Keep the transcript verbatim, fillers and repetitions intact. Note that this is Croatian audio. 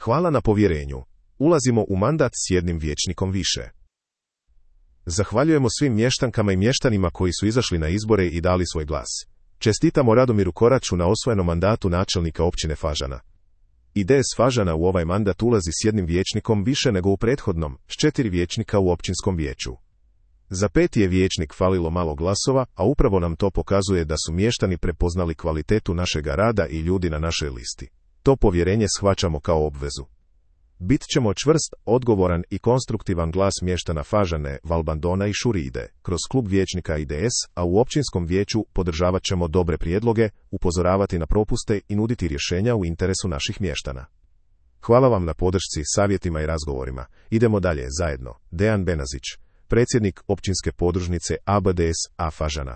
Hvala na povjerenju. Ulazimo u mandat s jednim vijećnikom više. Zahvaljujemo svim mještankama i mještanima koji su izašli na izbore i dali svoj glas. Čestitamo Radomiru Koraču na osvojenom mandatu načelnika općine Fažana. I D S Fažana u ovaj mandat ulazi s jednim vijećnikom više nego u prethodnom, s četiri vijećnika u općinskom vijeću. Za peti je vijećnik falilo malo glasova, a upravo nam to pokazuje da su mještani prepoznali kvalitetu našega rada i ljudi na našoj listi. To povjerenje shvaćamo kao obvezu. Bit ćemo čvrst, odgovoran i konstruktivan glas mještana Fažane, Valbandona i Šuride, kroz klub vijećnika I D S, a u općinskom vijeću podržavat ćemo dobre prijedloge, upozoravati na propuste i nuditi rješenja u interesu naših mještana. Hvala vam na podršci, savjetima i razgovorima. Idemo dalje zajedno. Dejan Benazić, predsjednik općinske podružnice A B D S A Fažana.